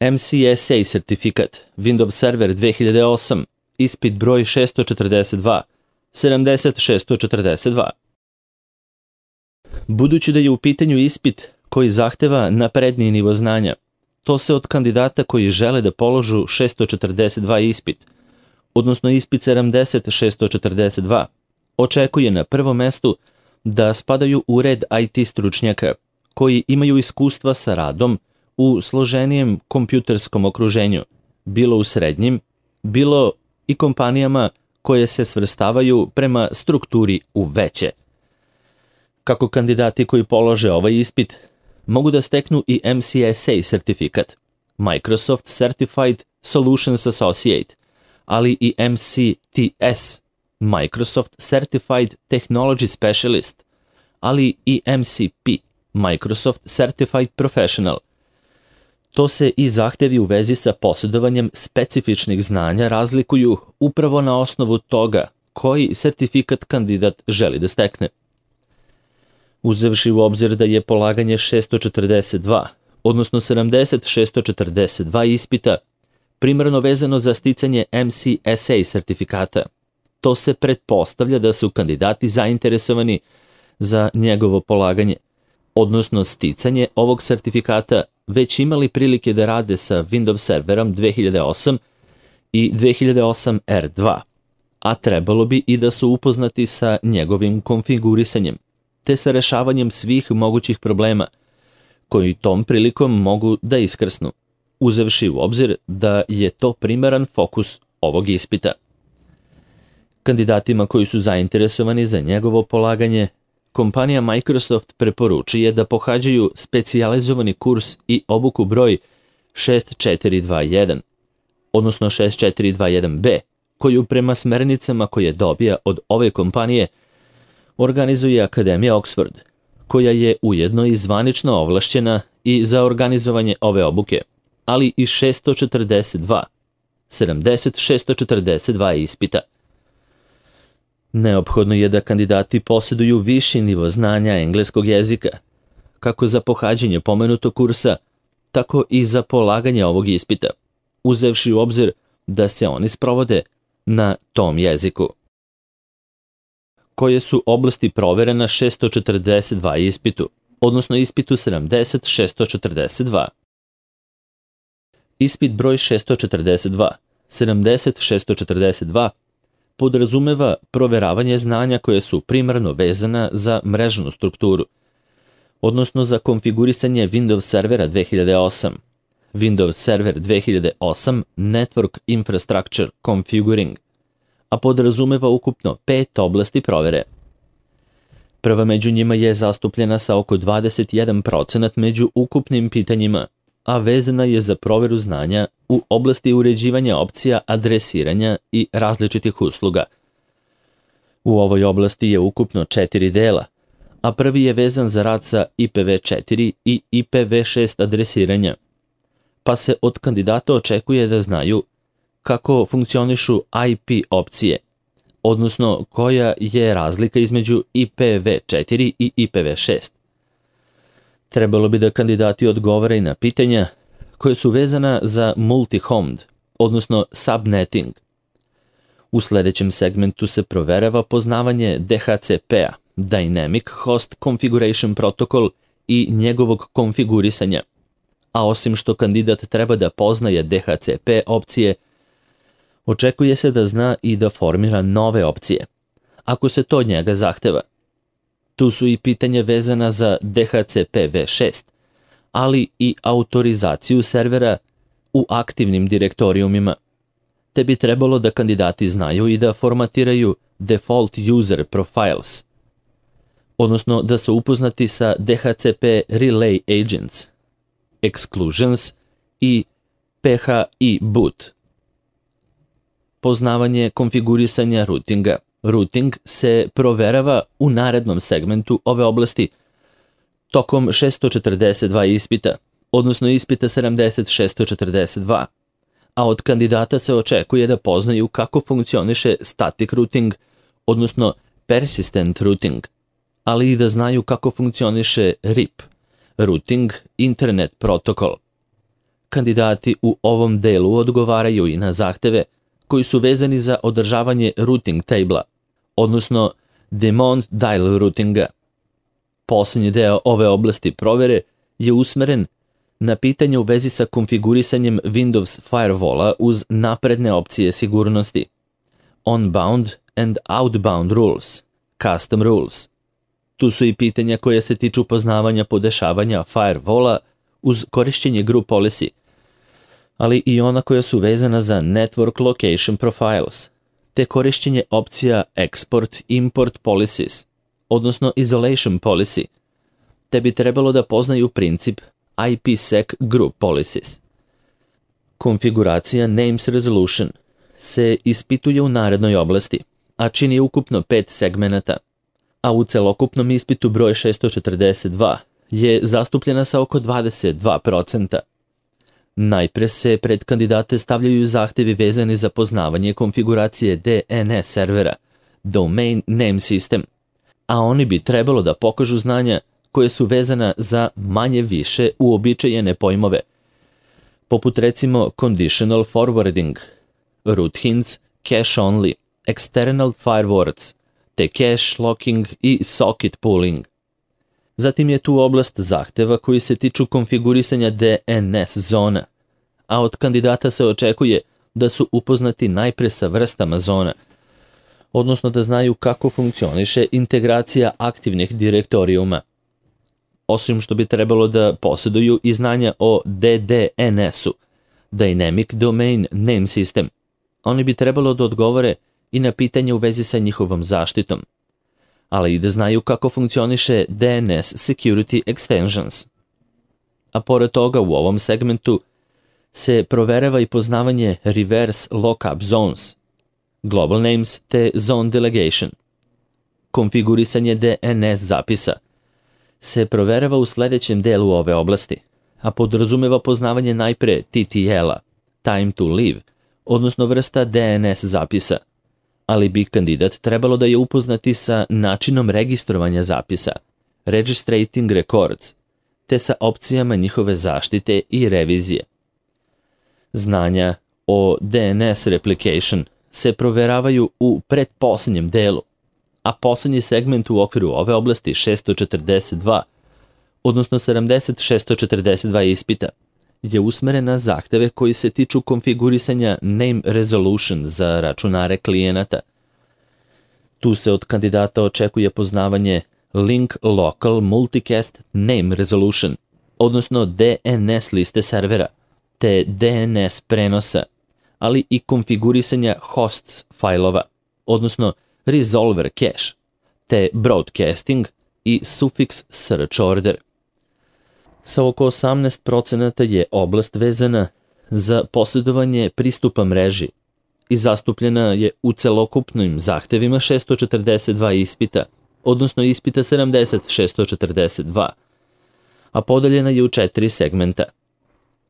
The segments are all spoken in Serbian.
MCSA sertifikat, Windows Server 2008, ispit broj 642, 7642. Budući da je u pitanju ispit koji zahteva napredniji nivo znanja, to se od kandidata koji žele da položu 642 ispit, odnosno ispit 70642, očekuje na prvom mestu da spadaju u red IT stručnjaka koji imaju iskustva sa radom u složenijem kompjuterskom okruženju, bilo u srednjim, bilo i kompanijama koje se svrstavaju prema strukturi u veće. Kako kandidati koji polože ovaj ispit mogu da steknu i MCSA sertifikat, Microsoft Certified Solutions Associate, ali i MCTS, Microsoft Certified Technology Specialist, ali i MCP, Microsoft Certified Professional. To se i zahtevi u vezi sa posjedovanjem specifičnih znanja razlikuju upravo na osnovu toga koji sertifikat kandidat želi da stekne. Uzevši u obzir da je polaganje 642, odnosno 7642 ispita, primarno vezano za sticanje MCSA sertifikata, to se pretpostavlja da su kandidati zainteresovani za njegovo polaganje, odnosno sticanje ovog sertifikata već imali prilike da rade sa Windows Serverom 2008 i 2008 R2, a trebalo bi i da su upoznati sa njegovim konfigurisanjem, te sa rešavanjem svih mogućih problema, koji tom prilikom mogu da iskrsnu, uzevši u obzir da je to primaran fokus ovog ispita. Kandidatima koji su zainteresovani za njegovo polaganje, kompanija Microsoft preporučuje da pohađaju specijalizovani kurs i obuku broj 6421, odnosno 6421B, koju prema smernicama koje dobija od ove kompanije organizuje Akademija Oxford, koja je ujedno i zvanično ovlašćena i za organizovanje ove obuke, ali i 7642 ispita. Neophodno je da kandidati posjeduju viši nivo znanja engleskog jezika, kako za pohađanje pomenutog kursa, tako i za polaganje ovog ispita, uzevši u obzir da se oni sprovode na tom jeziku. Koje su oblasti provere na 642 ispitu, odnosno ispitu 7642. Ispit broj 642, 7642, podrazumeva proveravanje znanja koje su primarno vezana za mrežnu strukturu, odnosno za konfigurisanje Windows Servera 2008, Windows Server 2008 Network Infrastructure Configuring, a podrazumeva ukupno 5 oblasti provere. Prva među njima je zastupljena sa oko 21% među ukupnim pitanjima, a vezana je za proveru znanja u oblasti uređivanja opcija adresiranja i različitih usluga. U ovoj oblasti je ukupno 4 dela, a prvi je vezan za rad sa IPv4 i IPv6 adresiranja, pa se od kandidata očekuje da znaju kako funkcionišu IP opcije, odnosno koja je razlika između IPv4 i IPv6. Trebalo bi da kandidati odgovore na pitanja koje su vezana za multi-homed, odnosno subnetting. U sledećem segmentu se proverava poznavanje DHCP-a, Dynamic Host Configuration Protocol, i njegovog konfigurisanja, a osim što kandidat treba da poznaje DHCP opcije, očekuje se da zna i da formira nove opcije, ako se to od njega zahteva. Tu su i pitanja vezana za DHCP v6, ali i autorizaciju servera u aktivnim direktorijumima, te bi trebalo da kandidati znaju i da formatiraju default user profiles, odnosno da su upoznati sa DHCP relay agents, exclusions i PHI boot. Poznavanje konfigurisanja routinga. Routing se proverava u narednom segmentu ove oblasti tokom 642 ispita, odnosno ispita 7642, a od kandidata se očekuje da poznaju kako funkcioniše static routing, odnosno persistent routing, ali i da znaju kako funkcioniše RIP, Routing Internet Protocol. Kandidati u ovom delu odgovaraju i na zahteve koji su vezani za održavanje routing table-a, odnosno Daemon Dial routinga. Poslednji deo ove oblasti provere je usmeren na pitanje u vezi sa konfigurisanjem Windows Firewall-a uz napredne opcije sigurnosti, on-bound and outbound rules, custom rules. Tu su i pitanja koja se tiču poznavanja podešavanja Firewall-a uz korišćenje group policy, ali i ona koja su vezana za network location profiles, te korišćenje opcija export-import policies, odnosno isolation policy, te bi trebalo da poznaju princip IPsec group policies. Konfiguracija Names Resolution se ispituje u narednoj oblasti, a čini ukupno 5 segmenata, a u celokupnom ispitu broj 642 je zastupljena sa oko 22%. Najpre se pred kandidate stavljaju zahtevi vezani za poznavanje konfiguracije DNS servera, Domain Name System, a oni bi trebalo da pokažu znanja koje su vezana za manje više uobičajene pojmove, poput recimo conditional forwarding, root hints, cache only, external firewords, te cache locking i socket pooling. Zatim je tu oblast zahteva koji se tiču konfigurisanja DNS zona, a od kandidata se očekuje da su upoznati najpre sa vrstama zona, odnosno da znaju kako funkcioniše integracija aktivnih direktorijuma. Osim što bi trebalo da posjeduju i znanja o DDNS-u, Dynamic Domain Name System, oni bi trebalo da odgovore i na pitanje u vezi sa njihovom zaštitom, ali i da znaju kako funkcioniše DNS Security Extensions. A pored toga u ovom segmentu se proverava i poznavanje Reverse Lookup Zones, Global Names te Zone Delegation. Konfigurisanje DNS zapisa se proverava u sledećem delu ove oblasti, a podrazumeva poznavanje najpre TTL-a, Time to Leave, odnosno vrsta DNS zapisa, ali bi kandidat trebalo da je upoznati sa načinom registrovanja zapisa, Registrating Records, te sa opcijama njihove zaštite i revizije. Znanja o DNS Replication se proveravaju u pretposlednjem delu, a poslednji segment u okviru ove oblasti 642, odnosno 70-642 ispita, je usmeren na zahteve koji se tiču konfigurisanja Name Resolution za računare klijenata. Tu se od kandidata očekuje poznavanje Link Local Multicast Name Resolution, odnosno DNS liste servera, te DNS prenosa, ali i konfigurisanja hosts failova, odnosno resolver cache, te broadcasting i suffix search order. Sa oko 18% je oblast vezana za posjedovanje pristupa mreži i zastupljena je u celokupnim zahtevima 642 ispita, odnosno ispita 70-642, a podeljena je u 4 segmenta.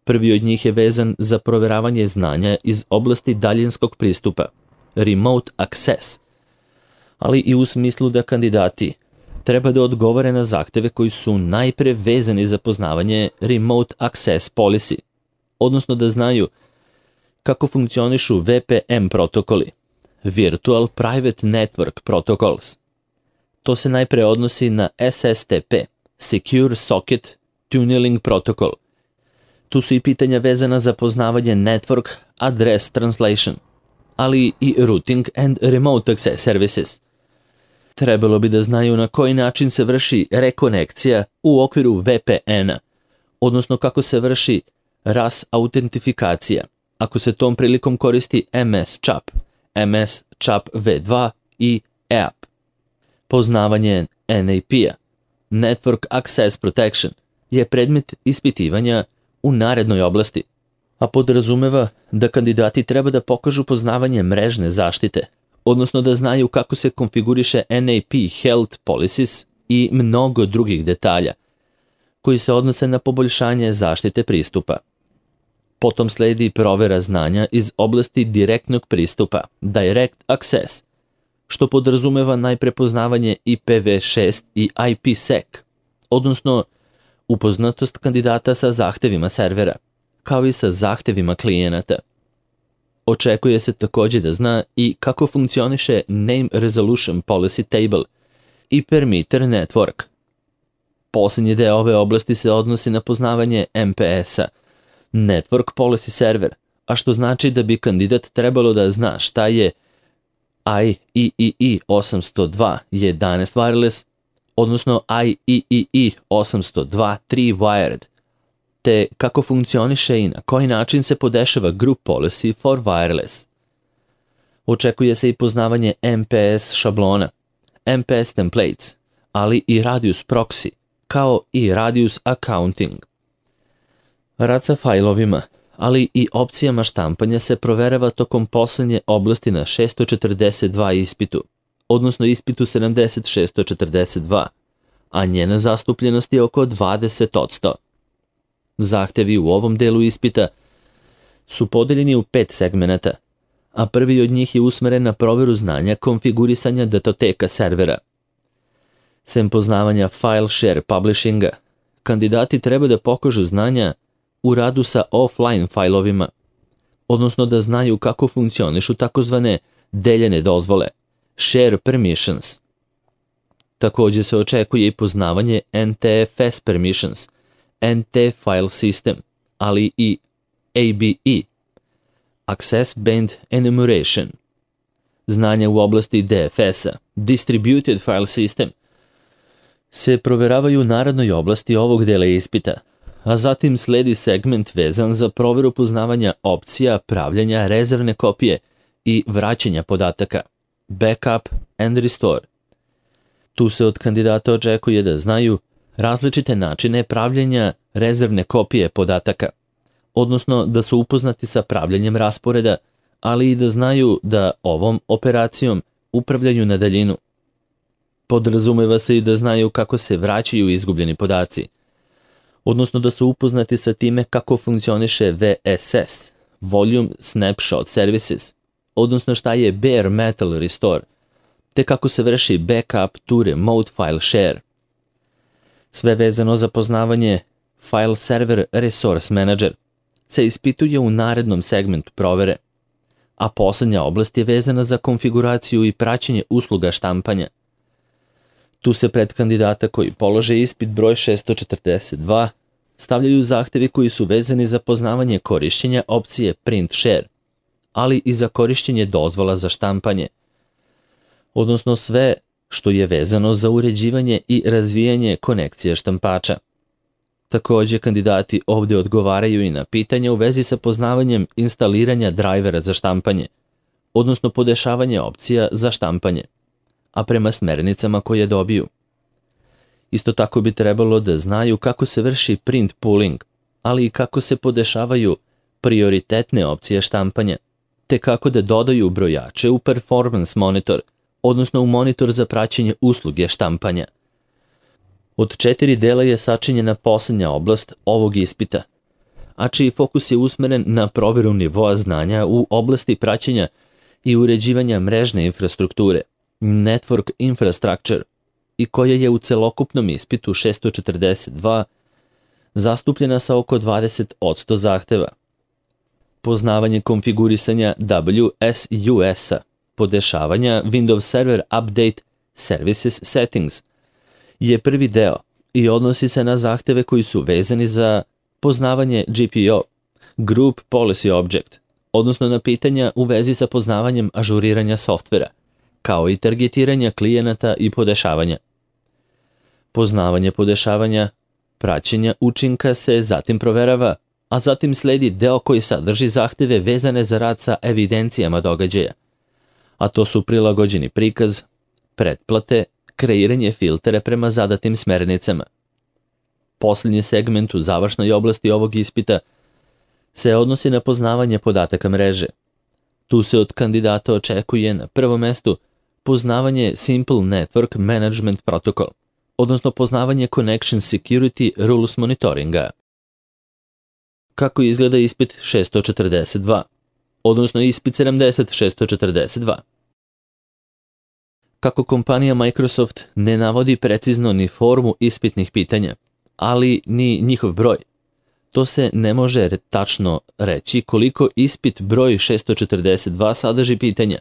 Prvi od njih je vezan za proveravanje znanja iz oblasti daljinskog pristupa, remote access, ali i u smislu da kandidati treba da odgovore na zahteve koji su najpre vezani za poznavanje remote access policy, odnosno da znaju kako funkcionišu VPN protokoli, Virtual Private Network Protocols. To se najpre odnosi na SSTP, Secure Socket Tunneling Protocol. Tu su i pitanja vezana za poznavanje Network Address Translation, ali i Routing and Remote Access Services. Trebalo bi da znaju na koji način se vrši rekonekcija u okviru VPN-a, odnosno kako se vrši RAS autentifikacija, ako se tom prilikom koristi MS-CHAP, MS-CHAP V2 i EAP. Poznavanje NAP-a, Network Access Protection, je predmet ispitivanja u narednoj oblasti, a podrazumeva da kandidati treba da pokažu poznavanje mrežne zaštite, odnosno da znaju kako se konfiguriše NAP Health Policies i mnogo drugih detalja, koji se odnose na poboljšanje zaštite pristupa. Potom sledi provera znanja iz oblasti direktnog pristupa, Direct Access, što podrazumeva najprepoznavanje IPv6 i IPsec, odnosno upoznatost kandidata sa zahtevima servera, kao i sa zahtevima klijenata. Očekuje se također da zna i kako funkcioniše Name Resolution Policy Table i Permitter Network. Posljednji deo ove oblasti se odnosi na poznavanje MPS-a, Network Policy Server, a što znači da bi kandidat trebalo da zna šta je IEEE 802.11 wireless, odnosno IEEE 802.3 wired, te kako funkcioniše i na koji način se podešava Group Policy for Wireless. Očekuje se i poznavanje MPS šablona, MPS templates, ali i Radius Proxy, kao i Radius Accounting. Rad sa fajlovima, ali i opcijama štampanja se proverava tokom poslednje oblasti na 642 ispitu, odnosno ispitu 7642, a njena zastupljenost je oko 20%. Zahtevi u ovom delu ispita su podeljeni u 5 segmenata, a prvi od njih je usmeren na proveru znanja konfigurisanja datoteka servera. Sem poznavanja file share publishinga, kandidati treba da pokažu znanja u radu sa offline fajlovima, odnosno da znaju kako funkcionišu takozvane deljene dozvole, share permissions. Također se očekuje i poznavanje NTFS permissions, NT file system, ali i ABE, Access Band Enumeration. Znanja u oblasti DFS-a, Distributed File System, se proveravaju u narednoj oblasti ovog dela ispita, a zatim sledi segment vezan za proveru poznavanja opcija pravljenja rezervne kopije i vraćanja podataka, Backup and Restore. Tu se od kandidata očekuje da znaju različite načine pravljenja rezervne kopije podataka, odnosno da su upoznati sa pravljenjem rasporeda, ali i da znaju da ovom operacijom upravljaju na daljinu. Podrazumeva se i da znaju kako se vraćaju izgubljeni podaci, odnosno da su upoznati sa time kako funkcioniše VSS, Volume Snapshot Services, odnosno šta je Bare Metal Restore, te kako se vrši backup to remote file share. Sve vezano za poznavanje File Server Resource Manager se ispituje u narednom segmentu provere, a poslednja oblast je vezana za konfiguraciju i praćenje usluga štampanja. Tu se pred kandidata koji polože ispit broj 642 stavljaju zahtevi koji su vezani za poznavanje korišćenja opcije Print Share, ali i za korišćenje dozvola za štampanje, odnosno sve što je vezano za uređivanje i razvijanje konekcije štampača. Također kandidati ovdje odgovaraju i na pitanja u vezi sa poznavanjem instaliranja drajvera za štampanje, odnosno podešavanje opcija za štampanje, a prema smernicama koje dobiju. Isto tako bi trebalo da znaju kako se vrši print pooling, ali i kako se podešavaju prioritetne opcije štampanja, te kako da dodaju brojače u performance monitor, odnosno u monitor za praćenje usluge štampanja. Od 4 dela je sačinjena poslednja oblast ovog ispita, a čiji fokus je usmeren na proveru nivoa znanja u oblasti praćenja i uređivanja mrežne infrastrukture, Network Infrastructure, i koja je u celokupnom ispitu 642 zastupljena sa oko 20% zahteva. Poznavanje konfigurisanja WSUS-a, podešavanja Windows Server Update Services Settings, je prvi deo i odnosi se na zahteve koji su vezani za poznavanje GPO, Group Policy Object, odnosno na pitanja u vezi sa poznavanjem ažuriranja softvera, kao i targetiranja klijenata i podešavanja. Poznavanje podešavanja, praćenja učinka se zatim proverava, a zatim sledi deo koji sadrži zahteve vezane za rad sa evidencijama događaja, a to su prilagođeni prikaz, pretplate, kreiranje filtera prema zadatim smernicama. Posljednji segment u završnoj oblasti ovog ispita se odnosi na poznavanje podataka mreže. Tu se od kandidata očekuje na prvom mestu poznavanje Simple Network Management Protocol, odnosno poznavanje Connection Security Rules Monitoringa. Kako izgleda ispit 642, odnosno ispit 7642? Kako kompanija Microsoft ne navodi precizno ni formu ispitnih pitanja, ali ni njihov broj, to se ne može tačno reći koliko ispit broj 642 sadrži pitanja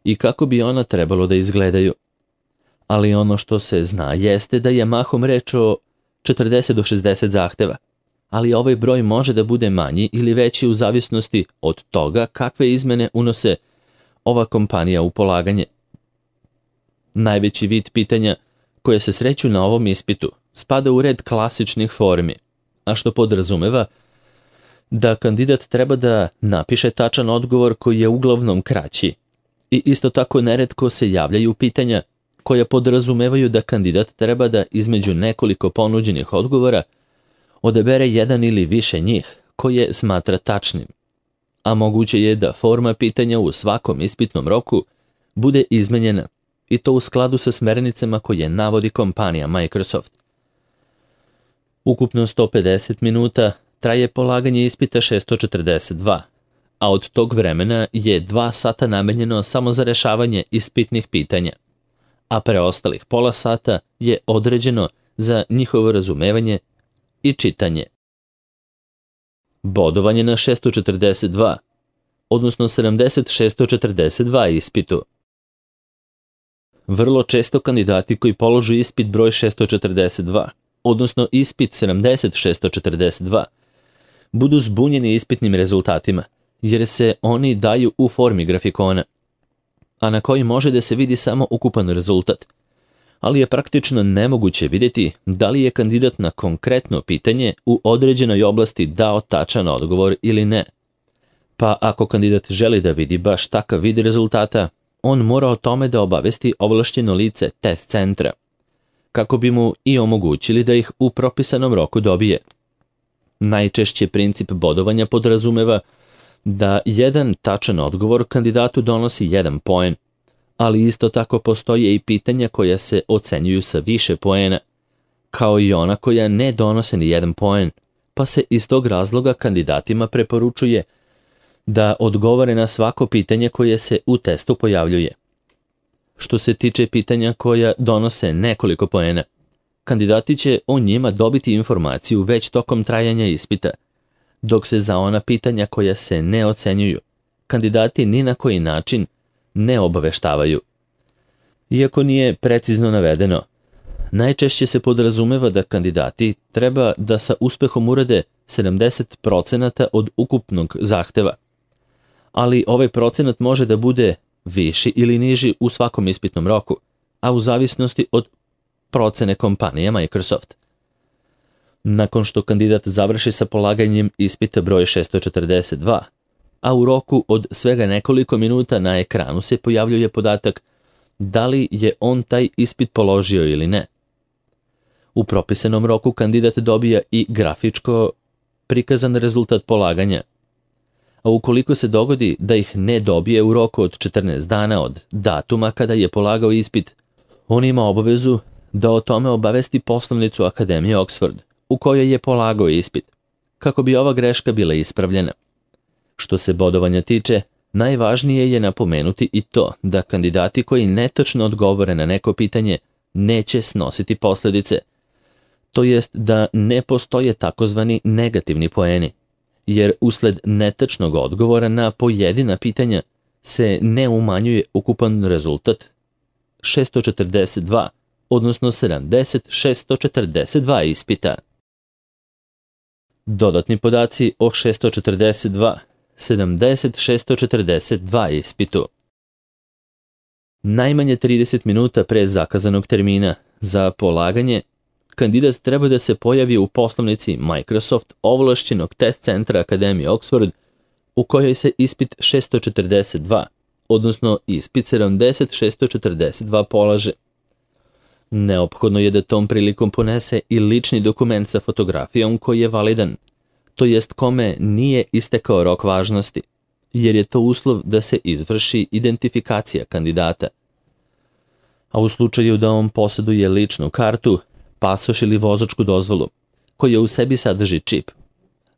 i kako bi ona trebalo da izgledaju. Ali ono što se zna jeste da je mahom reč o 40 do 60 zahteva, ali ovaj broj može da bude manji ili veći u zavisnosti od toga kakve izmene unose ova kompanija u polaganje. Najveći vid pitanja koje se sreću na ovom ispitu spada u red klasičnih formi, a što podrazumeva da kandidat treba da napiše tačan odgovor koji je uglavnom kraći. I isto tako neretko se javljaju pitanja koja podrazumevaju da kandidat treba da između nekoliko ponuđenih odgovora odabere jedan ili više njih koje smatra tačnim. A moguće je da forma pitanja u svakom ispitnom roku bude izmenjena i to u skladu sa smernicama koje navodi kompanija Microsoft. Ukupno 150 minuta traje polaganje ispita 642, a od tog vremena je 2 sata namenjeno samo za rešavanje ispitnih pitanja, a preostalih pola sata je određeno za njihovo razumevanje i čitanje. Bodovanje na 642, odnosno 7642 ispitu. Vrlo često kandidati koji položu ispit broj 642, odnosno ispit 7642, budu zbunjeni ispitnim rezultatima, jer se oni daju u formi grafikona, a na koji može da se vidi samo ukupan rezultat, ali je praktično nemoguće vidjeti da li je kandidat na konkretno pitanje u određenoj oblasti dao tačan odgovor ili ne. Pa ako kandidat želi da vidi baš takav vid rezultata, on mora o tome da obavesti ovlašćeno lice test centra, kako bi mu i omogućili da ih u propisanom roku dobije. Najčešće princip bodovanja podrazumeva da jedan tačan odgovor kandidatu donosi 1 poen, ali isto tako postoje i pitanja koja se ocenjuju sa više poena, kao i ona koja ne donose ni 1 poen, pa se iz tog razloga kandidatima preporučuje da odgovore na svako pitanje koje se u testu pojavljuje. Što se tiče pitanja koja donose nekoliko poena, kandidati će o njima dobiti informaciju već tokom trajanja ispita, dok se za ona pitanja koja se ne ocenjuju, kandidati ni na koji način ne obaveštavaju. Iako nije precizno navedeno, najčešće se podrazumeva da kandidati treba da sa uspehom urade 70% od ukupnog zahteva, ali ovaj procenat može da bude viši ili niži u svakom ispitnom roku, a u zavisnosti od procene kompanije Microsoft. Nakon što kandidat završi sa polaganjem ispita broj 642, a u roku od svega nekoliko minuta na ekranu se pojavljuje podatak da li je on taj ispit položio ili ne. U propisanom roku kandidat dobija i grafičko prikazan rezultat polaganja, a ukoliko se dogodi da ih ne dobije u roku od 14 dana od datuma kada je polagao ispit, on ima obavezu da o tome obavesti poslovnicu Akademije Oxford, u kojoj je polagao ispit, kako bi ova greška bila ispravljena. Što se bodovanja tiče, najvažnije je napomenuti i to da kandidati koji netačno odgovore na neko pitanje neće snositi posljedice, to jest da ne postoje takozvani negativni poeni, jer usled netačnog odgovora na pojedina pitanja se ne umanjuje ukupan rezultat 642, odnosno 7642 ispita. Dodatni podaci o 642, 7642 ispitu. Najmanje 30 minuta pre zakazanog termina za polaganje, kandidat treba da se pojavi u poslovnici Microsoft ovlašćenog test centra Akademije Oxford, u kojoj se ispit 642, odnosno ispit 7642 polaže. Neophodno je da tom prilikom ponese i lični dokument sa fotografijom koji je validan, to jest kome nije istekao rok važnosti, jer je to uslov da se izvrši identifikacija kandidata. A u slučaju da on posjeduje ličnu kartu, pasoš ili vozačku dozvolu, koja u sebi sadrži čip,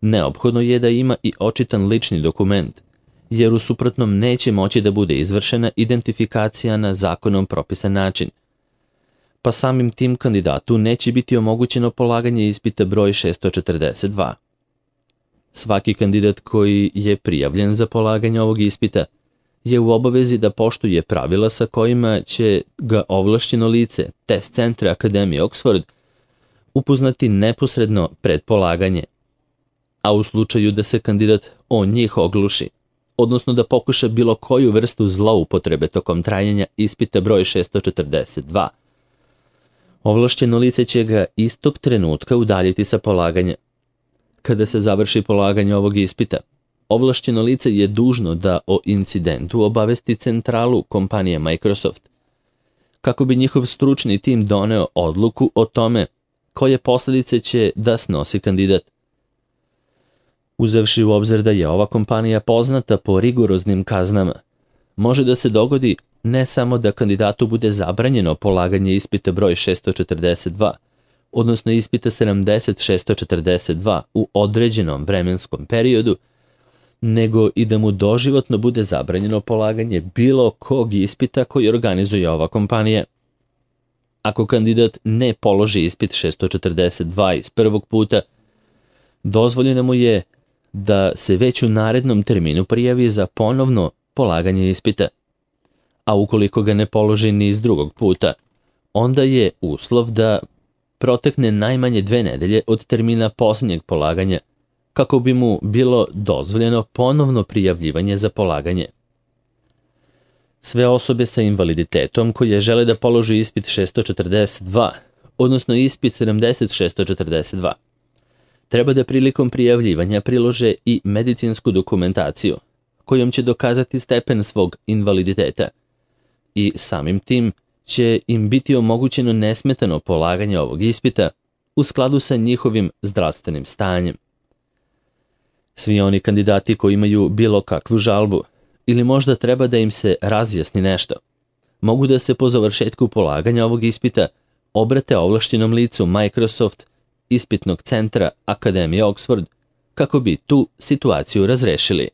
neophodno je da ima i očitan lični dokument, jer u suprotnom neće moći da bude izvršena identifikacija na zakonom propisan način, pa samim tim kandidatu neće biti omogućeno polaganje ispita broj 642. Svaki kandidat koji je prijavljen za polaganje ovog ispita je u obavezi da poštuje pravila sa kojima će ga ovlašćeno lice test centra Akademije Oxford upoznati neposredno pred polaganje. A u slučaju da se kandidat o njih ogluši, odnosno da pokuša bilo koju vrstu zloupotrebe tokom trajanja ispita broj 642, ovlašćeno lice će ga istog trenutka udaljiti sa polaganja. Kada se završi polaganje ovog ispita, ovlašćeno lice je dužno da o incidentu obavesti centralu kompanije Microsoft, kako bi njihov stručni tim doneo odluku o tome koje posledice će da snosi kandidat. Uzevši u obzir da je ova kompanija poznata po rigoroznim kaznama, može da se dogodi ne samo da kandidatu bude zabranjeno polaganje ispita broj 642, odnosno ispita 642 u određenom vremenskom periodu, nego i da mu doživotno bude zabranjeno polaganje bilo kog ispita koji organizuje ova kompanija. Ako kandidat ne položi ispit 642 iz prvog puta, dozvoljeno mu je da se već u narednom terminu prijavi za ponovno polaganje ispita. A ukoliko ga ne položi ni iz drugog puta, onda je uslov da protekne najmanje 2 nedelje od termina posljednjeg polaganja, kako bi mu bilo dozvoljeno ponovno prijavljivanje za polaganje. Sve osobe sa invaliditetom koje žele da položi ispit 642, odnosno ispit 642, treba da prilikom prijavljivanja prilože i medicinsku dokumentaciju, kojom će dokazati stepen svog invaliditeta i samim tim će im biti omogućeno nesmetano polaganje ovog ispita u skladu sa njihovim zdravstvenim stanjem. Svi oni kandidati koji imaju bilo kakvu žalbu ili možda treba da im se razjasni nešto, mogu da se po završetku polaganja ovog ispita obrate ovlašćenom licu Microsoft ispitnog centra Akademije Oxford kako bi tu situaciju razrešili.